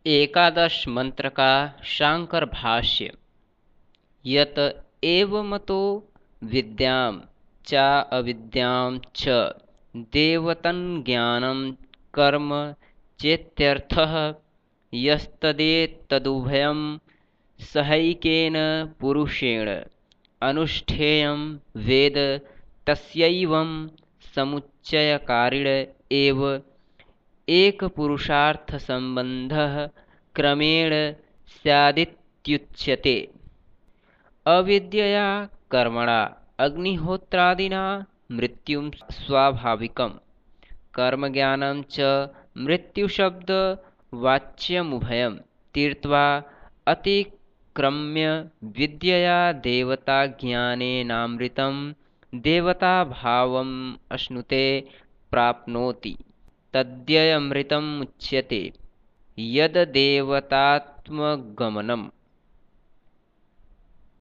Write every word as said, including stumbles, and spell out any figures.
एकादश मंत्र का शांकर भाष्य। यत एवमतो विद्यां च अविद्यां च देवतं ज्ञानं कर्म चेत्यर्थः। यस्तदेतदुभयं सहैकेन पुरुषेण अनुष्ठेयं वेद तस्यैवं समुच्चयकारिण एव एकपुरुषार्थसम्बन्धः क्रमेण स्यादित्युच्यते। अविद्यया कर्मणा अग्निहोत्रादिना मृत्युं स्वाभाविकं कर्मज्ञानं च मृत्युशब्दवाच्यमुभयं तीर्त्वा अतिक्रम्य विद्यया देवताज्ञानेनामृतं देवताभावम् अश्नुते प्राप्नोति। तद्यमृतमुच्यते। यद्देवतात्मगमनं